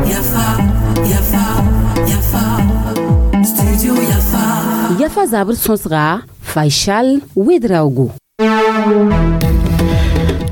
Yafa, Yafa, Yafa, Studio Yafa. Yafa zabr sõsga Faisal Ouedraogo.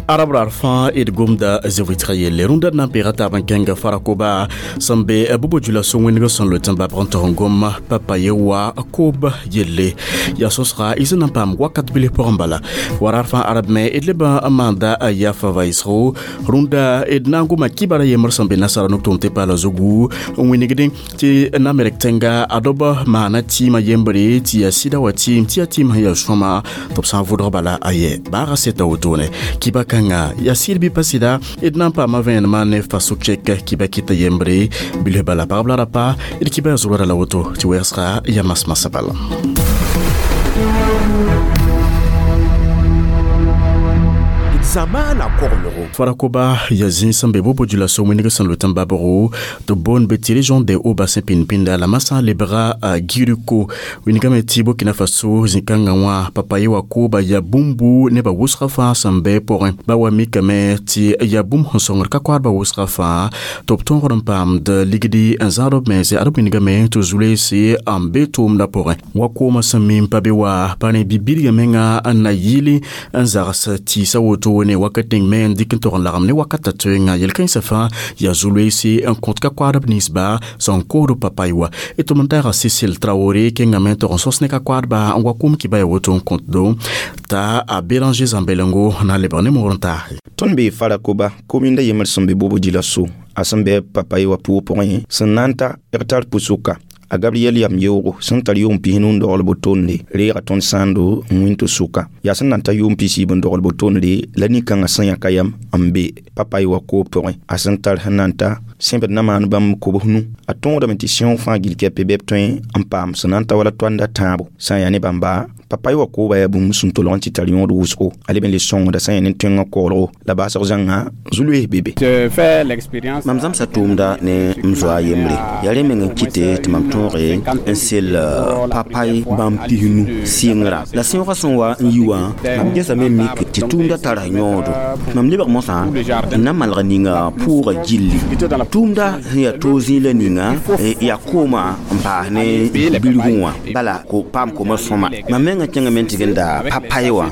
Arab rar fãa d gomda zɩ-vɩtga yelle rũndã d na n peega taab n kẽnga farakoba sẽn be bubo djula-so wẽneg sẽn loet n babg n tog n gom papaye wa koob yelle yaa sõsga y sẽn na n paam wakat bilf pʋgẽ bala wa rar fãa arab me d leb n maanda yafa vaɩsgo rũndã d na n goma kibara yembr sẽn be nasara nuk tʋʋm tɩ paala zugu n wĩnigdẽ tɩ na merk tẽnga a dob maana tɩɩmã yembre tɩ yaa sɩda wa tɩɩm tɩ yaa tɩɩm sẽn yaa sõma tɩ b sã n vʋdg bala a yɛ baaga seta wotone kiba kãnga yaa sɩd bɩ pa sɩda d na n paama vẽenemã ne fasʋk kɛk kiba kɩta yembre bilf bala pagb la rapa d kiba yaa zʋrda la woto tɩ wɛɛsga yaa masmasã bala. Zamaana koglgo. Farakoba ya zĩ sẽn be bobo djula-so wẽneg sẽn loet n babgo tɩ b boond be tɩ région des hauts bassin pĩnd-pĩnda la masã lebga giriko wingame tɩ Burkina Faso zĩ-kãngã wã papaye wa kooba yaa bũmbu nebã wʋsgã fãa sẽn be pʋgẽ ba wa mikame tɩ yaa bũmb sẽn sõngd ka koaadbã wʋsgã fãa tɩ b tõogd n paamd ligdi n zãad b mense ad b wingame tɩ zu-loeese n be tʋʋmdã pʋgẽ wa koomã sẽn mim pa be wa pa ne bi-bilgã menga n na yɩl n zags tɩɩsã woto ne wakat ning me n dɩk n tog n lagem ne wakatã toeenga yel-kãensã fãa yaa zu-loeese n kõt ka koaadb ninsba sẽn koosd papay wa d tʋm n taaga Cécile Traoré kẽngame n tog n sõs ne ka koaadba n wa kʋm kɩba ya woto n kõtdo t'a a Béranger Zambelengo na n lebg ne moor n taase. Tõnd bee Farakoba kominda yembr sẽn be bobo djila-so a sẽn bɩ papaye wã pʋʋg pʋgẽ sẽn na n ta hectare pʋsʋka a Gabriel yam yeoogo sẽn tar yʋʋm 90 n dogl bo-tonde reega tõnd sãando n wĩn tɩ sʋka yaa sẽn na n ta yʋʋm 70 n dogl bo-tonde la nin-kãngã sẽn yãka yam n be papaye wã koob pʋgẽ a sẽn tar sẽn na n ta sẽbd na maan bãmb kobs nu a tõodame tɩ sẽoog fãa gill kɛpe bɩ b tõe n paam sẽn na n ta wala toanda tãabo sã n yaa ne bãmba papaye wã kooba yaa bũmb sẽn tolg n tɩ tar yõod wʋsgo a leb n le sõngda sã n yaa ne tõengã koglgo la baasg zãnga zu-loees be be. Mam zãmsa tʋʋmda ne m zoa yembre yaa rẽ meng n kɩte tɩ mam tõoge n sel papay bãmb 90 sɩngrã la sẽoogã sẽn wa n yi wã mam gesame mik tɩ tʋʋmda tara yõodo mam lebg mosã n na malg ninga pʋʋga gilli tʋʋmda sẽn yaa toog zĩig la ninga yaa koomã n paas ne bilgẽ wã bala ko paam koomã sõma mam mengã kẽngame n tɩg n da papay wã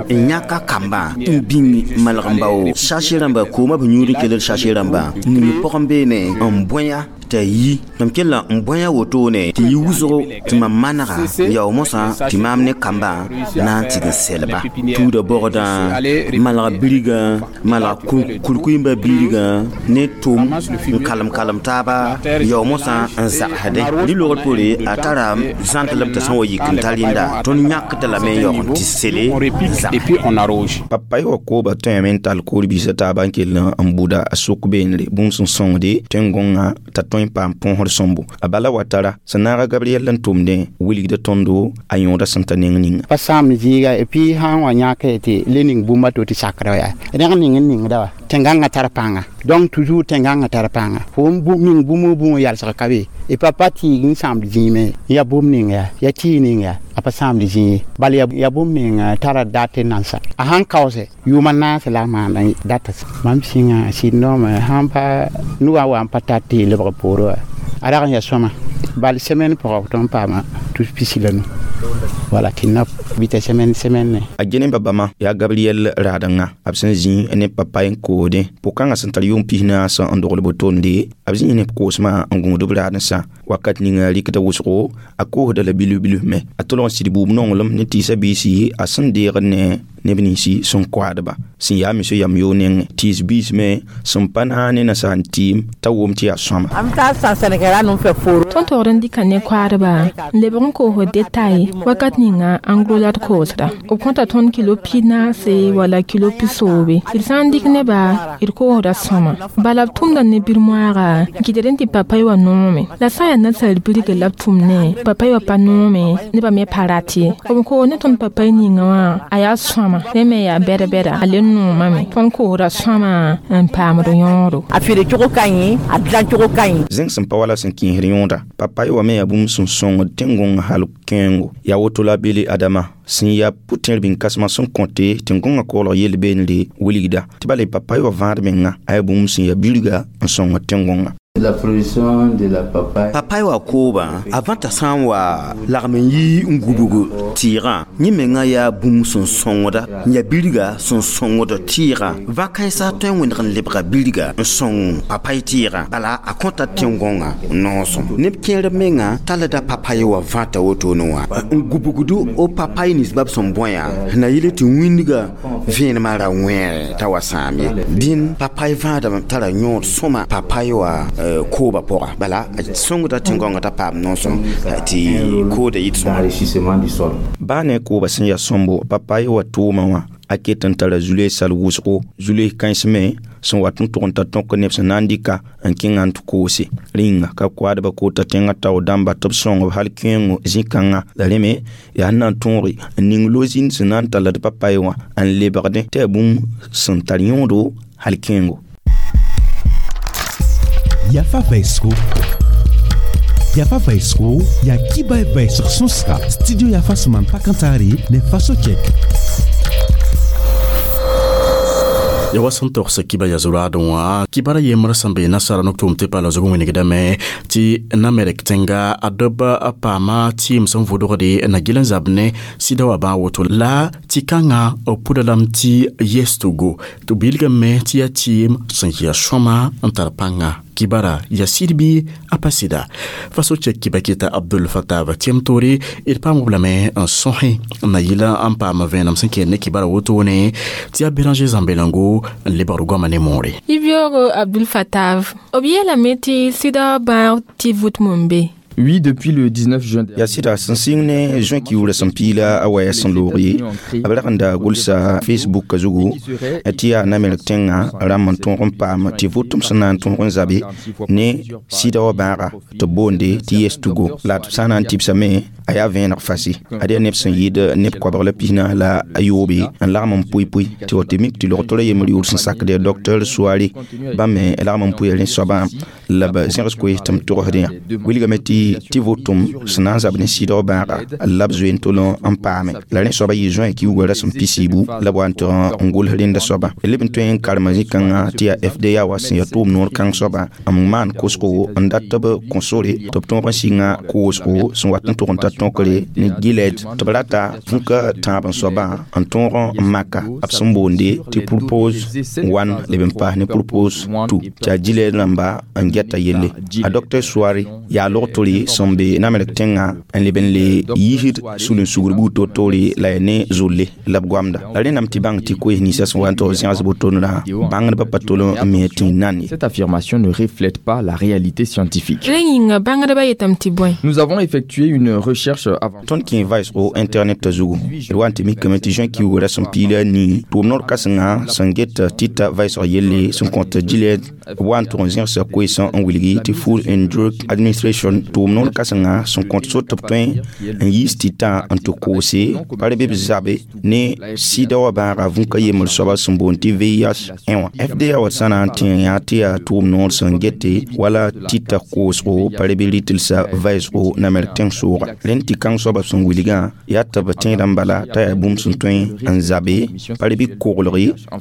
n yãka kambã n bĩng malg n bao sase rãmba koomã b yũud n kell sase rãmbã ning pʋgẽ beene n bõe t'a yi mam kell n bõe wotone tɩ yi wʋsgo tɩ mam manega yao mosã tɩ maam ne kambã na n tɩg n selba tuuda bɔgdã malga birigã malga kurkuimbã birigã ne tʋm n kalem-kalem taaba yao mosã n zagsdẽ rɩ-logr poore a tara zãnt la b t'a sẽn wa yik n ta rẽnda tõnd yãkda lame n yaoog tɩ sele n zag. Papaye wã kooba tõeme n tall koor-biisã taaba n kell n buda a sʋk beenre bũmb sẽn sõngde tẽn-gõngã t'a tõe n paam põosd sõmbo a bala wa tara sẽn naaga Gabriel n tʋmdẽ wilgda tõndo a yõoda sẽn ta neng ninga. Pa sãamd zĩiga et puis sã n wa yãk tɩ le ning bũmba to tɩ sakra yaa rẽg ning n ningda wa tẽn-gãngã tar pãnga donc toujours tẽn-gãngã tar pãnga fo n ning bũmb bũmb yalsg ka be et papa tɩɩg n sãamd zĩime yaa bũmb ning yaa yaa tɩɩg ning yaa a pa sãamd zĩig bal yaa bũmb ning tara dat n nansa a sãn kaoose yʋʋma naase la a maanda data mam sĩnga sɩd noome sãn pa noa wa n pa tar tɩ lebg poore wa a rag n yaa sõma bal semaine pʋgã tõnd paama tus pisi la nu wala tɩ na bɩta semaine semaine ne. A gene ba bãmba yaa Gabriel raadengã b sẽn zĩ ne papay n koodẽ pʋg-kãngã sẽn tar yʋʋm 94 n dogl bo-tonde b zĩ ne b koosmã n gũud b raadensã wakat ninga rɩkda wʋsgo a koosda la bilf bilf me a tolg n sɩd buub nonglem ne tɩɩsã biisi a sẽn deegd ne neb ninsi sẽn koaadba sẽn yaa mesã yam yoog nengẽ tɩɩs biis me sẽn pa na ne nasaar tɩɩm t'a wʋm tɩ yaa sõama. Tõnd togd n dɩka ne koaadba n lebg n koosd detail wakat ninga en gros la d koosda b kõta tõnd kilo 14 wala kilo 17 d sã n dɩk neba d koosda sõma bala b tʋmda ne bir-moaaga n kɩtd n tɩ papay wã noome la sã n yaa nasaar birgr la b tʋm ne papay wã pa noome nebã me pa rat ye b koos ne tõnd papay ninga wã a yaa sõama. sõma rẽ me yaa bɛd-bɛda a le noomame tõnd koosda sõma n paamd yõodo. A feere cogo ka ɲi, a dilan cogo ka ɲi. Zẽng sẽn pa wala sẽn kĩisd yõoda, papay wa me yaa bũmb sẽn sõngd tẽn-gõng hal kẽengo. Yaa woto la bele Adama sẽn yaa pʋ-tẽr bĩn-kãsmã sẽn kõte tẽn-gõngã koglg yell beende wilgda tɩ bala papay wa vãad menga a yaa bũmb sẽn yaa bilga n sõngd tẽn-gõngã. La production de la papaye. Papaye wa kooba a vãta sã n wa lagm n yi n gubg tɩɩgã, yẽ menga yaa bũmb sẽn sõngda n yaa bilga sẽn sõngd tɩɩgã. Va-kãensã tõe n wẽneg n lebga bilga n sõng papaye tɩɩgã, bala a kõta tẽn-gõngã noosem. Neb kẽer menga tallda papaye wa vãta wotone wã n gubgd o papaye nins bab sẽn bõe na yɩl tɩ wĩndga vẽenemã ra wẽere t'a wa sãam ye. Dĩn papaye vãadame tara yõod sõma papaye wa kooba pʋga, bala a sõngda tẽn-gõngã t'a paam noosem tɩ kooda yit sõma. D'enrichissement du sol. Baa ne kooba sẽn yaa sõmbo, papaye wa tʋʋmã wã a ket n tara zulee sal wʋsgo, zulee kãens me sẽn wat n tʋg n ta tõk neb sẽn na n dɩka n kẽnga n tɩ koose. Rĩnga ka koadbã koota tẽngã tao dãmba tɩ b sõng b hal kẽengo zĩ-kãngã. La rẽ me yaa sẽn na n tõoge n ning lo-zĩnd sẽn na n tall d papaye wã n lebgdẽ tɩ yaa bũmb sẽn tar yõodo hal kẽengo. Yafa Vaisco. Yafa Vaisco, ya kiba vaisg sõsga. Studio Yafa sẽn maan pakãntaare ne faso chek. Ya wa sẽn togsa kiba ya zuraadẽ wã kibara yembr sẽn be nasara nok tʋʋm tɩ pa la zug wĩnigdame tɩ Namerk tẽnga a dɔb a paama tɩɩm sẽn vʋdgde na gil n zab ne sɩda wã bãa woto la tɩ kãngã b pʋda lame tɩ yestogo tɩ bilgame tɩ yaa tɩɩm sẽn yɩa sõma n tar pãnga. Kibara ya sɩd bɩ a pa sɩda faso chɛk kiba kɩta Abdul Fatah tɩm toore d paam b lame n sõsẽ n na yɩla n paam vẽenem sẽn kẽer ne kibara wotone tɩ yaa Béranger Zãmbelango n lebgd goama ne moore. Yibyogo Abdul Fatah, b yeelame tɩ sɩda bãag tɩ vʋtm n be. Oui, depuis le 19 juin dernier. Yaa sɩda sẽn sɩng ne juin kiuurã sẽn piila a waya sẽn loog ye, b rag n da gʋlsa Facebook zugu tɩ yaa Namerk tẽngã rãmb n tõog n paam tɩ vʋtem sẽn na n tõog n zabe ne sɩda wã bãaga tɩ b boonde tɩ yestugo. La d sã n na n tɩbsame a yaa vẽeneg fasi ad yaa neb sẽn yɩɩd neb koabg la pisna la a yoobe n lagm n pʋɩ-pʋɩ tɩ wa tɩ mik tɩ logtora yembr yʋʋr sẽn sakd yaa docteur Soare bãmb me lagm n pʋɩ rẽ soabã la b zẽgs koees tɩ m togsd yã. Wilgame tɩ vʋtʋm sẽn na n zab ne sɩda wã bãaga la b zoe n tol n paame. La rẽ soabã yɩ juin kiuugã rasem pisiibu la b wa n tɩg n gʋls rẽnda soabã. Leb n tõe n karema zĩ-kãngã tɩ yaa FDA wa sẽn yaa tʋʋm noor kãng soabã n maan kosgo n dat tɩ b kõ sore tɩ b tõog n sɩnga koosgo sẽn wat n tʋg n ta tõkre ne Gilead tɩ b rata vũka tãab n soabã n tõog n maka b sẽn boonde tɩ Purpose 1 leb n paas ne Purpose 2 tɩ a Gilead rãmba n gɛta yelle. A Dr Soare yaa log-tore sẽn be Namerk tẽngã n leb n le yiisd sul-n-sugr buud to-toore la yaa ne zolle la b goamda. La rẽndame tɩ bãng tɩ koees ninsã sẽn wa n tog zẽgs wotone bãngdbã pa tol n me tɩ n nan ye. Cette affirmation ne reflète pas la réalité scientifique. Rẽ yĩnga bãngdbã yetame tɩ bõe? Nous avons effectué une recherche avant. Tõnd kẽ vaɩsgo internet zugu d wa n tɩ mikame tɩ juin kiuugã rasem piila nii tʋʋm noor kãsenga sẽn get tɩta vaɩsg yelle sẽn kõt Gilead b wa n tʋg n zẽgsa koeesã n wilgi tɩ Food and Drug Administration tʋʋm noor kãsenga sẽn kõt so tɩ b tõe n yiis tɩtã n tɩ koose pa re bɩ b zabe ne sɩda wã bãaga vũka yembr soaba sẽn boond tɩ VIH-1 wã. FDA wa sã na n tẽ yaa tɩ yaa tʋʋm noor sẽn gete wala tɩta koosgo pa re bɩ rɩtɩlsa vaɩsgo Namerk tẽng-sooga. Rẽnd tɩ kãng soaba sẽn wilgã yaa tɩ b tẽedã n bala t'a yaa bũmb sẽn tõe n zabe pa re bɩ koglg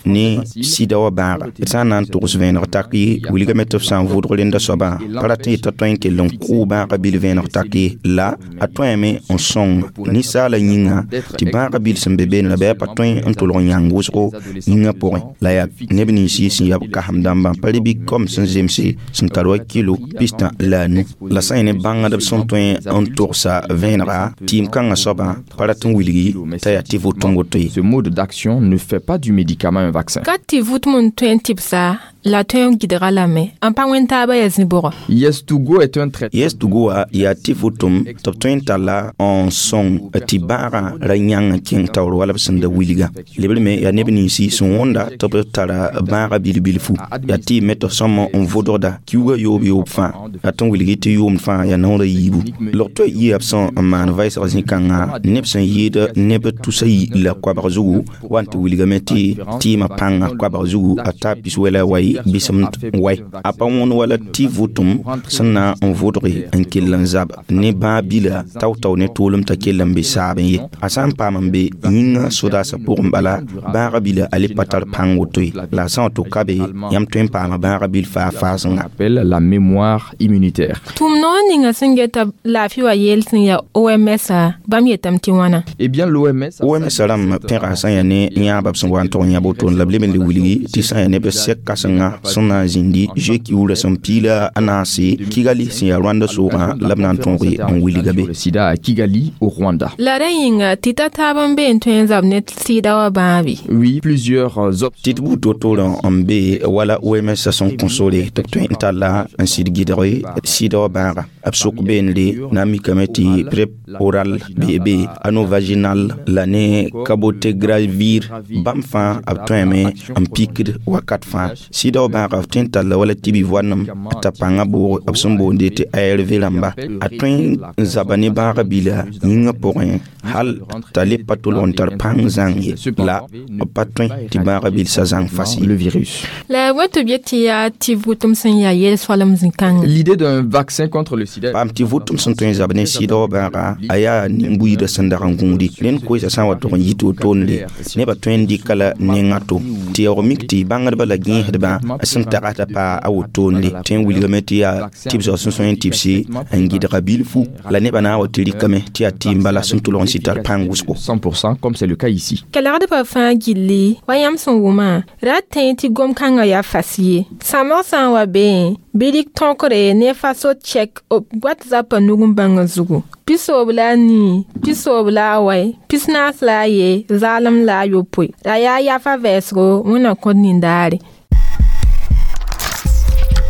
ne sɩda wã bãaga. D sã n na n togs vẽeneg tak ye, wilgame tɩ b sã n vʋʋdg rẽnda soabã pa rat n yeta tõe n kell n kʋʋ bãagã bil vẽeneg tak ye, la a tõeme n sõng ninsaala yĩnga tɩ bãagã bil sẽn be beene la bɩ a pa tõe n tʋlg n yãng wʋsgo yĩngã pʋgẽ. La yaa neb nins sẽn yaa b kasem dãmbã pa re bɩ kom sẽn zemse sẽn tar wa kilo pistã la a nu. La sã n yẽ ne bãngdb sẽn tõe n togsa vẽenega tɩɩm kãngã soabã pa rat n wilgi t'a yaa tɩ vʋtʋm woto ye. Ce mode d'action ne fait pas du médicament un vaccin. Ka tɩ vʋtm n tõe n tɩbsa La tõe n gɩdga lame n pa wẽn taabã yaa zĩ-bʋgɔ. Yes2Go est un traitement. Yes2Go wã yaa tɩ vʋtʋm tɩ b tõe n talla n sõng tɩ bãagã ra yãng n kẽng taoor wala b sẽn da wilga. Lebr me yaa neb ninsi sẽn wõnda tɩ b tara bãagã bil-bilfu. Yaa tɩ me tɩ sõm n vʋdgda kiuugã yoob yoob fãa, yaa tɩ n wilg tɩ yʋʋmd fãa yaa naoor a yiibu. Log-toɛ yɩa b sẽn n maan vɛɛsg zĩ-kãngã neb sẽn yɩɩd neb tusa yi la koabg zugu wa n tɩ wilgame tɩ tɩɩmã pãngã koabg zugu a taa pis-wɛ la wai bisemd wai. A pa wõn wala tɩ vʋtʋm sẽn na n vʋdge n kell n zab ne bãag bila tao-tao ne toolem t'a kell n be saabẽ ye. A sã n paam n be yĩngã sodaasã pʋgẽ bala bãagã bila a le pa tar pãng woto ye. La a sã n wa tʋ ka be yãmb tõe n paama bãagã bil faa faasengã. Appelle la mémoire immunitaire. Tʋm noor ninga sẽn geta laafɩ wa yeel sẽn yaa OMS bãmb yetame tɩ wãna. Eh bien l'OMS OMS rãmb pẽga sã n yaa ne yãaba b sẽn wa n tog n yã wotone la b leb n le wilgi tɩ sã n yaa neb sɛk kãsenga sẽn na n zĩndi zoe kiuurã sẽn piila a naase Kigali sẽn yaa Rwanda soogã la b na n tõoge n wilga be. Le sida à Kigali au Rwanda. La rẽ yĩnga tɩ ta taab n be n tõe n zab ne sɩda wã bãabe. Oui, plusieurs options. Tɩ d buud wotore n be wala OMS sẽn kõ sore tɩ b tõe n talla n sɩd gɩdge sɩda wã bãaga. B sok beende na n mikame tɩ PrEP oral beebe anovaginal la ne cabotegravir bãmb fãa b tõeme n pikd wakat fãa. Sɩda wã bãaga b tõe n talla wala tɩ bi-voanem t'a pãngã boog b sẽn boonde tɩ ARV rãmba. A tõe n zaba ne bãagã bila yĩngã pʋgẽ hal t'a le pa tolg n tar pãng zãng ye la b pa tõe tɩ bãagã bilsã zãng fas ye. Le virus. La a tɩ b yet tɩ yaa tɩ vʋtʋm sẽn yaa yel-soalem zĩ-kãngã. L'idée d'un vaccin contre le sida. Paam tɩ vʋtʋm sẽn tõe n zab ne sɩda wã bãaga a yaa nin-buiidã sẽn dag n gũudi. Rẽnd koeesã sã n wa tog n yit wotone nebã tõe n dɩka la nengã to. Tɩ yaoog mik tɩ bãngdbã la gẽesdbã sẽn tagsda paa a wotone tõe n wilgame tɩ yaa tɩbsg sẽn sõe n tɩbse n gɩdga bilfu la nebã na n wa tɩ rɩkame tɩ yaa tɩɩm bala sẽn tʋlg n sɩ tar pãng wʋsgo. 100% comme c'est le cas ici. Kelgdbã fãa gilli wa yãmb sẽn wʋmã ra tẽ tɩ gom-kãngã yaa fas ye. Sãmbg sã n wa beẽ bɩ rɩk tõkre ne faso chɛk b wat zapã nug n bãngã zugu. Pisoob la a nii, pisoob la a wai, pisnaas la a ye, zaalem la a yopoe. La yaa yafa vɛɛsgo wẽnna kõt nindaare.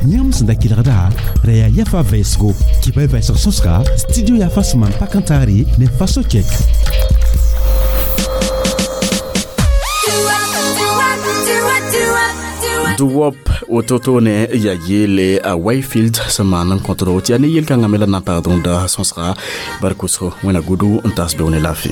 Yãmb sẽn da kelgda ra yaa yafa vɛɛsgo kɩ-pa vɛɛsg sõsga studio yafa sẽn maan pa kan taare ne faso chɛk. Duwop wototone ya yele a Wayfield sẽn maan n kõtdo tɩ yaa ne yel-kãngã me la na n pagd rõnda sõsga bark wʋsgo wẽna gudu n taas beoone laafɩ.